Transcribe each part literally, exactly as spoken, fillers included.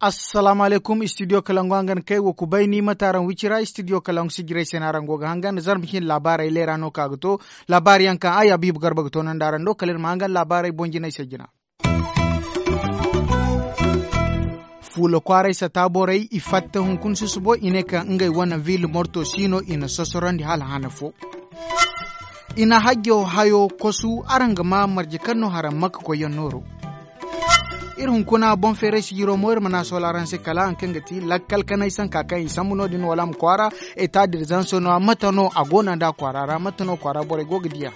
Assalaamu alaykum, istidiyo kalangu hangan kay wo kubay ni mate araŋ wicira istidiyo kalangu sijirey se no araŋ go ga hangan zarma cine laabaarey leera no ka ga to. Laabaari yaŋ kaŋ ay abiibu garba ga toonandi araŋ do kala iri ma hangan laabaarey boŋ jinay se jina. Fuula kwaaray sata borey i fatta hunkuna susubo i ne kaŋ ngey wane ville morto si no i na sosorandi hala hana fo. I na hajjo hayo kosu araŋ ga ma marje kaŋ no haraŋ makka koyyaŋ nooro. Iri hunkuna boŋ feeray sijiro mo iri mana sola araŋ se kala haŋ kaŋ ga ti lakkal kanay sanka kaŋ i sambu no- din wala a ma kwaara eta dirzanso no- ya mate no a go no nd'a kwaara ra mate no kwaara borey go ga diya.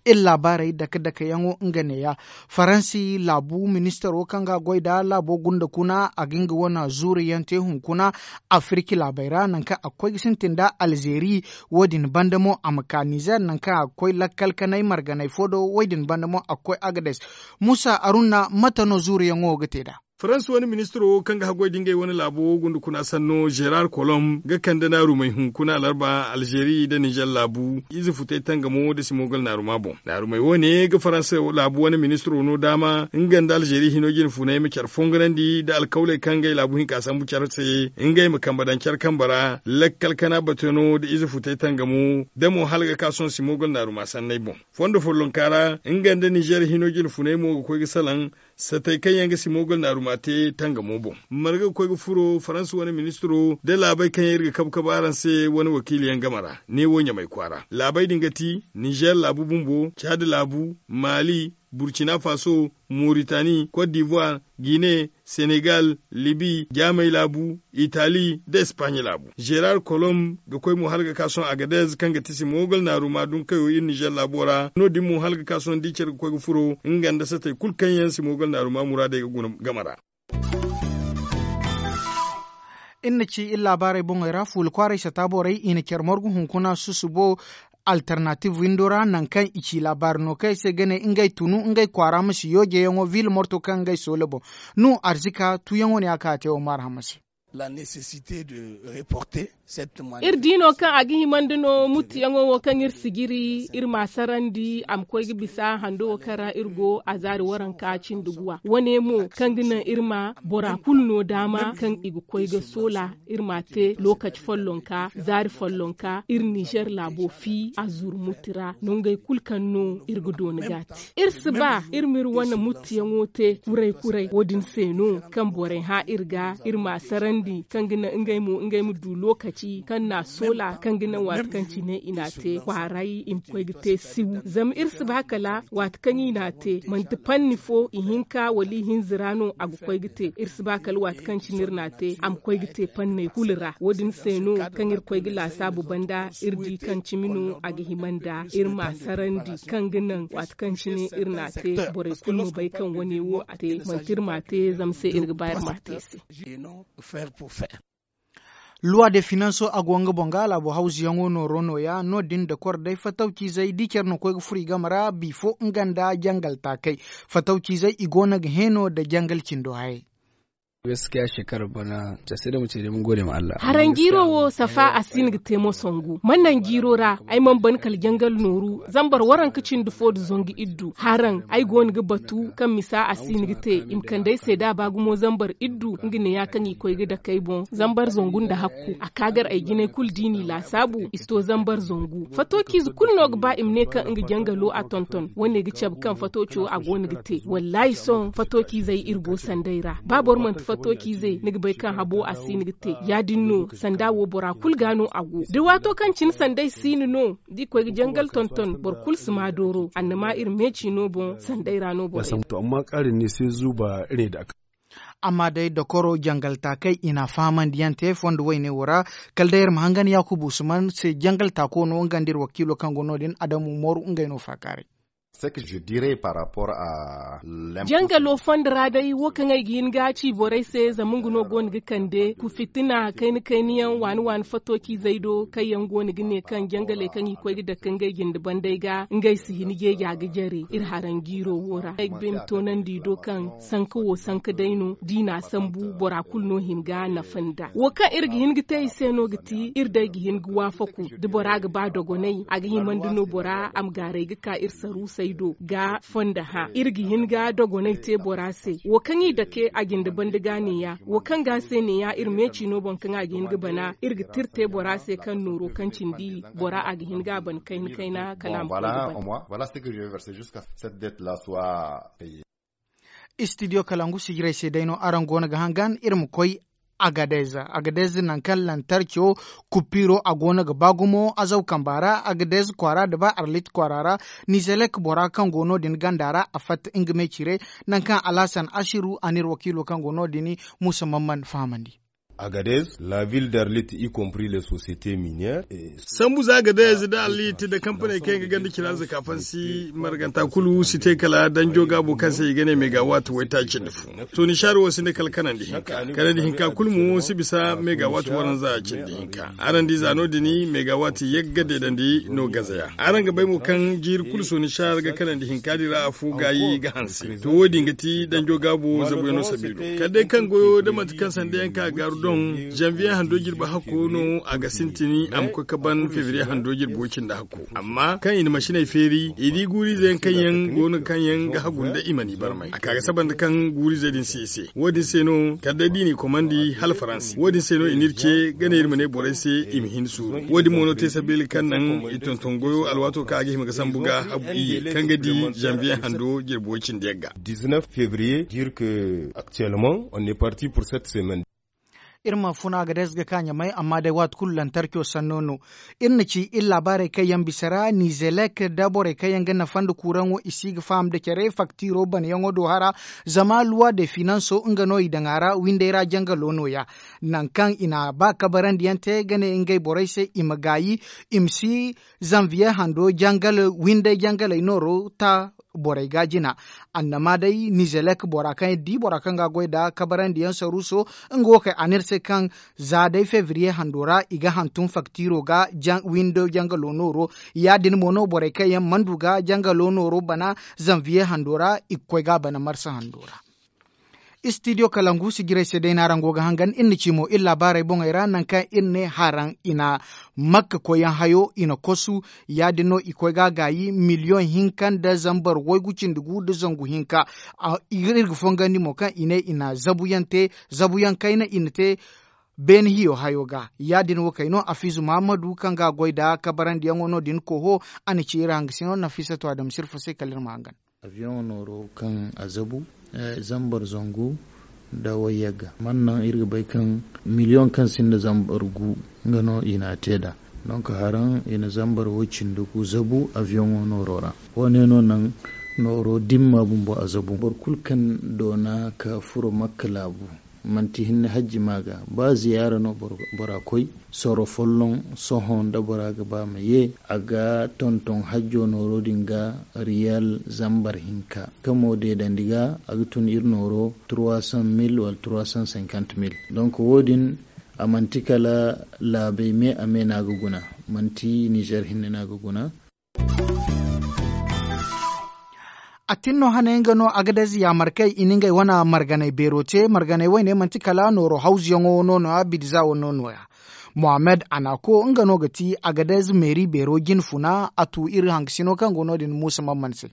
Iri laabaarey dake dake yaŋo nga neeya. Faransi laabu ministaro kaŋ ga a goy nd'a laabo gunda kuna a ga nga wane zuuri yaŋ te hunkuna afirki laabey ra nangu kaŋ a ga koy ga sintin nda alzeeri. Wo- din banda mo a ma ka nizer nangu kaŋ a ga koy lakkal kanay marganay fo do wo- din banda mo a ga koy agades. Muusa arunna mate no zuuri yaŋo ga te nd'a? Farans wane ministiro kaŋ ga haggoy da ngey wane laabo gunda kuna sanno zerar kolom ga kande naarumey hunkuna alarba alzeeri nda nizer laabu ize futay tangamo nda simogal naaruma boŋ. Naarumey wo- ne ga farans laabu wane ministiro no daama nga nda alzeeri hino jine funay ma care fongonandi nda alkawley kaŋ ngey laabu hinka sambu care se ngey ma kambe daŋ care kambe ra lakkal kana batano nda ize futay tangamo da mo hala ga ka sohõ simogal naaruma sanney boŋ. Fondo follonka ra nga nda nizer hino jine funay mo ga koy ga salaŋ satey kaŋ yaŋ ga simogal naaruma te tangamo boŋ. Marga ga koy ga furo farans wane ministiro da laabey kaŋ yaŋ iri ga kabu kabu araŋ se wane wakiili yaŋ game ra neewo ɲamay kwaara laabey din ga ti nizer laabu bumbo caadi laabu maali burcina faso moritani kot divoire gine senegal libi jaamey laabu itali nda espaaɲe laabu. Zerar kolom ga koy mo hala ga ka sohõ agadez kaŋ ga ti simogal naaruma dunkayo iri nizer laabo ra no- din mo hala ga ka sohõ da i care ga koy ga furo nga nda satey kulu kaŋ yaŋ simogal naaruma muraadey ga guna game ra. Iri na ci iri laabaarey boŋey ra fuula kwaaray sata borey i na care margu hunkuna susubo alternative windo ra nangu kaŋ i ci laabaari no kaŋ ay se ga ne ngey tunu ngey kwaara ma si yoojeyaŋo ville morto kaŋ ngey soola boŋ. No arzika tuuyaŋo ne a ka a te wo maarhama se. Iri di no kaŋ a ga himandi no muttiyaŋo wo kaŋ iri sijiri iri ma a sarandi a ma koy ga bisa hando wo kaŋ ra iri go a zaari waranka cindi guwa wane mo kaŋ ga naŋ iri ma bora kulu no daama kaŋ i ga koy ga soola iri ma a te lookaci follonka zaari follonka iri nizer laabo fi a zuru mutti ra nongey kulu kaŋ no iri ga dooni ga a te. Iri si ba iri ma iri wane muttiyaŋo te kuray kuray wo- din se no kaŋ borey hã iri ga iri ma a sarandi kaŋ ga naŋ ngey mo ngey ma du lookaci kaŋ na a soola kaŋ ga naŋ waati kaŋ cine i na a te kwaaray i ma koy ga te siw zama iri si ba kala waati kaŋ i na a te manti panni fo ihinka wala ihinza ra no a ga koy ga te iri si ba kala waati kaŋ cine iri na a te a ma koy ga te panney kulu ra wo- din se no kaŋ iri koy ga laasaabu banda iri di kaŋ cimi no a ga hima nda iri ma a sarandi kaŋ ga naŋ waati kaŋ cine iri na a te borey kulu ma bay kaŋ wane wo a te manti iri ma a te zama se iri ga ba iri ma a te se. Luwa de finanso a go nga boŋ ga laabo hawzuyaŋo nooro nooya no- din da kor day fatawciizey da i care no koy ga furo i game ra bifo nga nda jangal taakey fatawciizey i go no ga heeno nda jangal cindo hayey. Gaskiya shekarar bana ta sai da mu ce dai mun gode ma Allah. Haraŋ jiiro wo safa a si hin ga te mo sangu man naŋ jiiro ra ay mana ban kala jangal nooru zambar waranka cindi fo nda zangu iddu haraŋ ay go no ga batu kaŋ misa a si hin ga te i ma kande ay se da a ba gumo zambar iddu nga ne ya kaŋ i koy ga dake ay boŋ zambar zangu nda hakku a ka gar ay jinay kulu da i n'i laasaabu i si to zambar zangu fatooci ize kulu no ga ba i ma ne kaŋ nga jangalo a tonton wane ga cabe kaŋ fatooco a go no ga te wallahi sohõ fatooci izey iri go sanday ra ba boro manti fatooci izey ni ga bay kaŋ habo a si ni ga te ya- din no sanda wo bora kulu ga no a go da waato kaŋ cine sanday si ni no da i koy ga jangal tonton boro kulu si ma dooro annama iri meeci no boŋ sanday ra no borey. Amma day dokoro jangal taakey i na a fahamandi yaŋ te fondo wayne wo ra kala day iri ma hangan yaakubu usman se jangal taako no nga nda iri wakiilo kaŋ go no- din adamu mooru ngey no faakaaray. Jangalo fondo ra day wo kaŋ ay ga hin ga ci borey se zama nga no go no ga kande ku fitina kayna kayna yaŋ waani waani fattocizey do kaŋ yaŋ go no ga ne kaŋ jangaley kaŋ i koy ga dake ngey jinde bandey ga ngey si hin jeeja ga jare iri haranjiiro wo ra ay ga bay ma toonandi i do kaŋ sanka wo sanka day no da i n'a sambu bora kulu no hin ga nafa nda wo kaŋ iri ga hin ga te i se no ga ti iri day ga hin ga waafaku da bora ga ba dogonay a ga himandi no bora a ma gaaray ga ka iri saruusey do ga fondo hã iri ga hin ga dogonay te bora se wo kaŋ i dake a jinde banda ga neeya wo kaŋ ga se neeya iri meeci no boŋ kaŋ a ga hin ga bana iri ga tira te bora se kaŋ nooro kaŋ cindi bora a ga hin ga a ban kayna kayna kala a ma koy ga ban. Istidiyo kalangu sijirey se day no araŋ go no ga hangan iri ma koy agadez agadez nangu kaŋ lantarco kupiro a go no ga ba gumo azaw kamba ra agadez kwaara da ba arlit kwaara ra nizelek bora kaŋ go no- din ganda ra a fatta nga me cire nangu kaŋ alhasan asiru a n'iri wakiilo kaŋ go no- din muusa mamman fahamandi. Agadez la ville d'arlit y compris les sociétés minières. Sambu za agadez da arlit da kampaney kaŋ yaŋ ga ganda cira zaka fansi marganta kulu si te kala danjo gaabo kaŋ se i ga ne megawatt waytaaci cindi fo. To nisaari wo si ne kala kanandi hinka kanandi hinka kulu mo si bisa megawatt waranza cindi hinka araŋ di za no- din megawatt yagga deedandi no gaza ya araŋ ga bay mo kaŋ jiiri kulu sonisar ga kanandi hinka din ra afo gaayi ga hanse to wo- din ga ti danjo gaabo zabuyaŋo sabiilo kala day kaŋ goyo da manti kaŋ sanda yaŋ ka gaaru doŋ zanviye hando jirbi hakko no a ga sintin a ma koy ga ban febriye hando jirbi way cindi hakko amma kaŋ i na masiney feeri i di guuriize yaŋ kaŋ yaŋ go no kaŋ yaŋ ga hagu nda i mana i barmay a ka ga saba nda kaŋ guuriize din si i se wo- din se no kala day da i n'i komandi hala faransi wo- din se no i n'iri ce ga ne iri ma ne borey se i ma hin suuru wo- din mo no te sabeeli kaŋ naŋ i tonton goyo alwaato kaŋ a ga hima ga sambu ga habu iyye kaŋ ga di zanviye hando jirbi way cindi yagga. Febriye dire que actuellement on est parti pour cette semaine. Iri ma funa ga day ga ka ɲamay amma day waati kulu lantarco sanno no. Iri na ci iri laabaarey kaŋ yaŋ bisa ra nizelek nda borey kaŋ yaŋ ga nafa nda kuuraŋo i si ga faham nda care faktiro banayaŋo do hara zama luwa de finanso nga no i daŋ a ra windey ra jangalo nooya. Nangu kaŋ i na ba kabarandiyaŋ te ga ne ngey borey se i ma gaayi i ma si zanviye hando jangal windey jangaley nooro ta borey ga jina. Annama day nizelek bora kaŋ di bora kaŋ ga goy nda kabarandiyaŋ saruuso nga wo kay a ne iri se kaŋ za day febriye hando ra i ga hantum faktiro ga windo jangalo nooro. Ya- din mo no borey kaŋ yaŋ mana du ga jangalo nooro bana zanviye hando ra i ga koy ga a bana marsa hando ra. Istidiyo kalangu sijirey se day no araŋ go ga hangan iri na ci mo iri laabaarey boŋey ra nangu kaŋ iri ne haraŋ i na makka koyyaŋ hayo i na kosu. Ya- din no i koy ga a gaayi miliyoŋ hinka nda zambar waygu cindi gu nda zangu hinka. Iri ga fongandi mo kaŋ i ne i na zabuyaŋ te zabuyaŋ kayna i na te beene hiyo hayo ga. Ya- din wo kay no afiizu mahammadu kaŋ ga a goy nda kabarandiyaŋo no- din koho. A na ci iri hangasino nafiisatu adama sirfo se kala iri ma hangan. Aviyoŋo nooro kaŋ a zabu zambar zangu nda wayyagga mana naŋ iri ga bay kaŋ miliyoŋ kaŋ sinda zambar gu nga no i n'a te nd'a. Donk haraŋ i na zambar woy-cindi gu zabu aviyoŋo nooro ra. Wo- ne no naŋ nooro dimma bumbo a zabu boro kulu kaŋ doona ka furo makka laabu. Manti hinne hajji ma ga ba ziyaara no bora koy soro folloŋ. Sohõ nda bora ga ba ma ye a ga tonton hajjo nooro din ga riyal zambar hinka kamo deedandi ga a ga tun iri nooro trois cent mille wala trois cent cinquante mille. Donk wo- din a manti kala laabey me a me no a ga guna. Manti nizer hinne no a ga guna. A tin no hane nga no agadez yaamarkey i na ngey wane marganey beero te marganey wayne manti kala nooro hawzuyaŋo no no- ya bidiza wo no no- ya. Mohammed anako nga no ga ti agadez meeri beero jine funa a tu iri hangasino kaŋ go no- din muusa mamman se.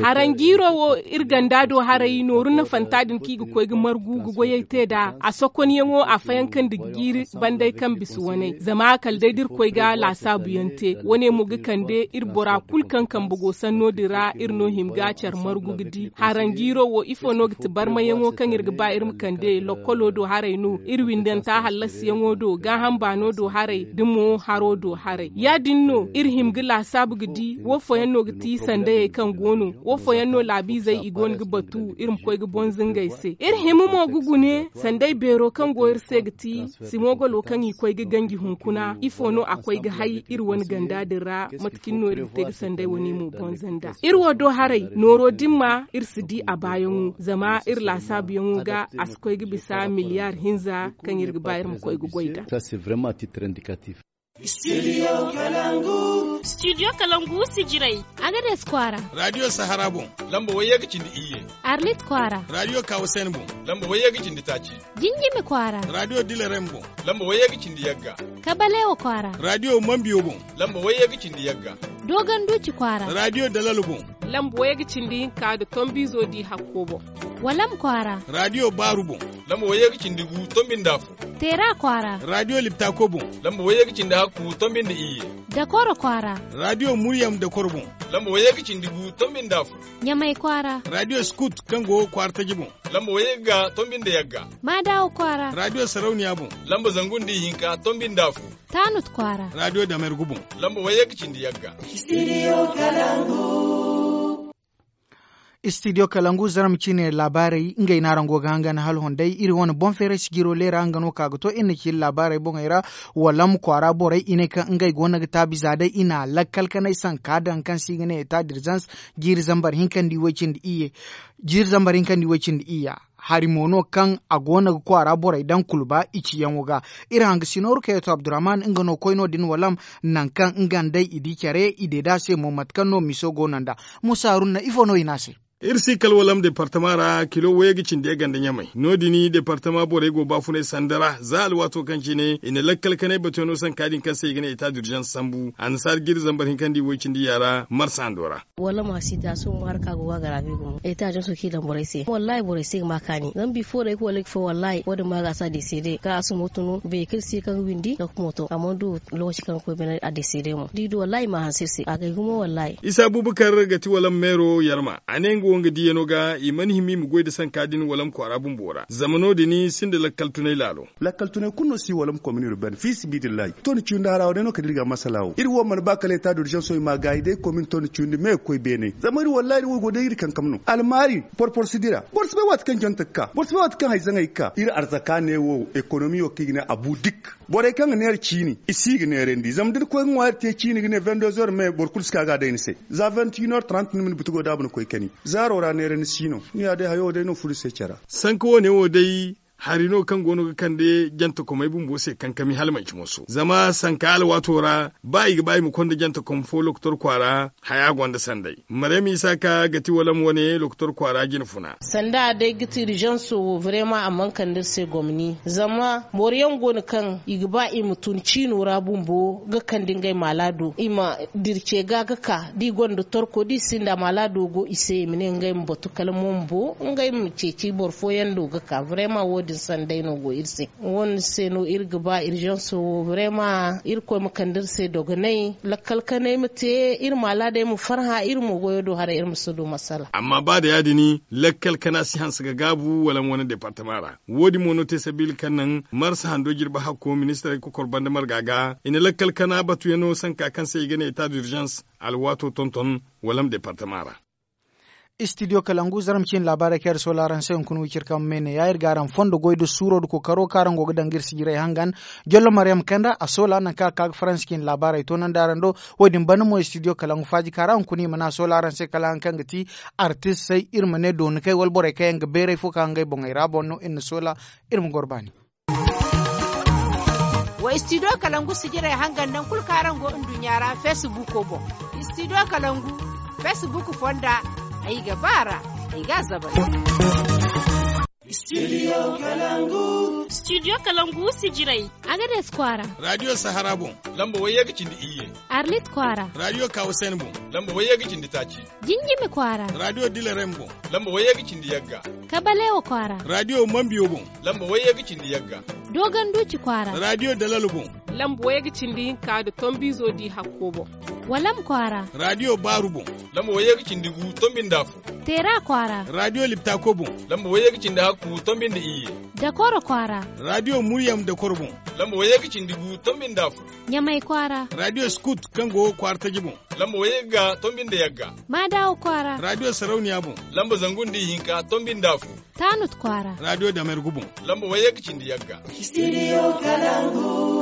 Haranjiiro wo iri ganda do haray nooru nafanta din kaŋ i ga koy ga margu ga goyey te nd'a a sokonyaŋo a fayanka nda jiiri banday kaŋ bisa waney zama kala day da iri koy ga laasaabuyaŋ te wane mo ga kande iri bora kulu kaŋ kambe go sanno din ra iri no hima ga care margu ga di haranjiiro wo ifo no ga ti barmayaŋo kaŋ iri ga ba iri ma kande lokkolo do haray no iri windanta hallasiyaŋo do gaaham baano do haray da mo haro do haray ya- din no iri hima ga laasaabu ga di wo fooyaŋ no ga Ti sandayey kaŋ go no wo fooyaŋ no laabiizey i go no ga batu iri ma koy ga bonza ngey se iri hima mo ga gune sanday beero kaŋ go iri se ga ti simogolo kaŋ i koy ga ganji hunkuna ifo no a koy ga hay iri wane ganda din ra? Mate cine no iri ga te ga sanday wane mo bonza nda iri wo do haray nooro din ma iri si di a baayaŋo zama iri laasaabuyaŋo ga a si koy ga bisa miliyaar hinza kaŋ iri ga ba iri ma koy ga goy nd'a. Studio kalangu sijirey. Agades kwaara. Radio sahara boŋ. Lamba wayye ga cindi iyye. Arlit kwaara. Radio kawasen boŋ. Lamba wayye ga cindi taaci. Jinjimi kwaara. Radio dilarem boŋ. Lamba wayye ga cindi yagga. Kabalewo kwaara. Radio mambiyo boŋ. Lamba wayye ga cindi yagga. Dogon duuci kwaara. Radio dalalo boŋ. Lamba wayye ga cindi hinka nda tombizo di hakko boŋ. Walam kwaara. Radio baaru boŋ. Lamba wayye ga cindi gu tombi nda afo. Teera kwaara. Radio liptako boŋ. Lamba wayye ga cindi hakku tombi nda iyye. Dakoro kwaara. Radio muryam dakoro boŋ. Lamba wayye ga cindi gu tombi nda afo. Ɲamay kwaara. Radio skut kaŋ go kwaara taji boŋ. Lamba wayye ga tombi nda yagga. Maadawo kwaara. Radio sarauniya boŋ. Lamba zangu nda ihinka tombi nda afo. Taanut kwaara. Radio damergu boŋ. Lamba wayye ga cindi yagga. Studio kalangu. Studio kalangu zarma ciine laabaarey ngey no araŋ go ga hangan hala honday iri wane boŋ feeray sijiro leera nga no ka ga to iri na ci iri laabaarey boŋey ra. Walam kwaara borey i ne kaŋ ngey go no ga taabi za day i na lakkal kanay sanka daŋ kaŋ se i ga ne eta dirzans jiiri zambar hinka nda i way cindi iyye. Jiiri zambar hinka nda i way cindi iyya. Hari mo no kaŋ a go no ga kwaara borey daŋ kulba i ciyaŋo ga. Iri hanga si nooru kaŋ yaŋ to abdurrahman nga no koy no- din walam. Nangu kaŋ nga nd'ey i di care i deeda se mo mate kaŋ no miso go no nd'a. Musa haruna ifo no i ne a se? Iri si kala walam departama ra kilo wayye ga cindi yagga nda ɲamay no- din departama borey go baafunay sanda ra za alwaato kaŋ cine i na lakkal kanay batuyaŋo sanka din kaŋ se i ga ne eta d'urgence sambu annasaara jiiri zambar hinka nda i way cindi iyya ra marsa hando ra. Wallaahi ma si te a sumo harka go ga a garaabi gumo eta janso kaŋ i daŋ borey se wallaahi borey si ga ma kaani zama bifo day ga wallaahi wo- din ma ga a si a deesede kaŋ a sumo tunu beekil si kaŋ ga windi ga kumo to amma du lookaci kaŋ ga koy bine a deesede mo da i du wallaahi i ma hanse iri se a gay gumo wallaahi. Isa abubakar ga ti walam meero yarma a ne nga wo nga diiyano ga i mana hima i ma goy nda sanka din walam kwaara bumbo ra zama no- din sinda lakkal tunay laalo. Lakkal tunay kulu no si walam komini urban fiisibidillahi toni ciyundi hara wo day no kala iri ga a masala wo iri wo mana ba kala eta d'urgence wo i ma a gaayi day komini toni ciyundi me ga koy beene zama iri wallaahi iri wo go day iri kankam no almaari porpor si dira boro si bay waati kaŋ jante ga ka boro si bay waati kaŋ hayzaŋey ga ka iri arzaka ne wo ekonomi wo kaŋ i ga ne abu dik borey kaŋ ga neera ciini i si ga neerandi zama da ni koy ga ŋwa iri te ciini ga ne vingt deux heures me boro kulu si ka ga a day ni se za vingt une heures trente ni ma ni butugo daabu ni koy kani zaaro ra neerandi si no ni ya day hayo wo day no furo iri se care ra. Sanka wo- ne wo day hari no kaŋ go no ga kande jantakomey bumbo se kankami hala manci moso zama sanka alwaato ra ba i ga ba i ma konda jantakom fo lokotor kwaara haya gonda sanday maryam isaaka ga ti walam wane lokotor kwaara jine funa. Sanda day ga ti urgence wo vraiment a mana kande iri se gomni zama boro yaŋ go no kaŋ i ga ba i ma tun ciino ra bumbo ga kande ngey maalaado i ma dira ce ga ga ka da i gonda torko da i sinda maalaado go i se i ma ne ngey ma batu kala mombo ngey ma ceeci boro fooyaŋ do ga ka vraiment wo- din sanday no go iri se wo- din se no iri ga ba urgence wo vraiment irkoy ma kande iri se dogonay lakkal kanay ma te iri maalaadey ma farhã iri mo goyo do haray iri ma si du masala. Amma ba da ya- din lakkal kana si hanse ga gaabu wala wane departama ra wo- din mo no te sabiila kaŋ naŋ marsa hando jirbi hakko ministarey kokor banda marga ga i na lakkal kana batuyaŋo sanka kaŋ se i ga ne eta d'urgence alwaato tonton wala ma departama ra. Studio kalangu zarma ciine laabaarey kaŋ iri soola araŋ se hunkuna wiciri kaŋ me ne ya iri ga araŋ fondo goy nda suuro nda kookaro kaŋ araŋ go ga daŋ ga iri sijirey hangan jollo maryam kanda a soola nangu kaŋ a ka ga faransi ciine laabaarey toonandi araŋ do. Wo- din banda mo studio kalangu faaji kaŋ ra hunkuna i mana a soola araŋ se kala hari kaŋ ga ti artistey iri ma ne dooni kay wala borey kaŋ yaŋ ga beeray fo kaŋ ngey boŋey ra boŋ no iri na soola. Iri ma goro baani. Wa studio kalangu sijirey hangan naŋ kulu kaŋ araŋ go nduɲɲa ra facebook boŋ. Studio kalangu facebook fonda ay ga ba a ra ay ga a zabari. Studio kalangu sijirey. Agades kwaara. Radio sahara boŋ. Lamba wayye ga cindi iyye. Arlit kwaara. Radio kawasen boŋ. Lamba wayye ga cindi taaci. Jinjimi kwaara. Radio dilarem boŋ. Lamba wayye ga cindi yagga. Kabalewo kwaara. Radio mambiyo boŋ. Lamba wayye ga cindi yagga. Dogon duuci kwaara. Radio dalalo boŋ. Lamba wayye ga cindi hinka nda tombizo di hakko boŋ. Walam kwaara. Radio baaru boŋ. Lamba wayye ga cindi gu tombi nda afo. Teera kwaara. Radio liptako boŋ. Lamba wayye ga cindi hakku tombi nda iyye. Dakoro kwaara. Raadiyo Muryam Dakoro boŋ. Lamba wayye ga cindi gu tombi nda afo. Ɲamay kwaara. Raadiyo Scoot kaŋ go kwaara taji boŋ. Lamba wayye ga tonbi nda yagga. Maadawo kwaara. Raadiyo Sarauniya boŋ. Lamba zangu nda ihinka tonbi nda afo. Taanut kwaara. Raadiyo Damergu boŋ. Lamba wayye ga cindi yagga. Studio Kalangu.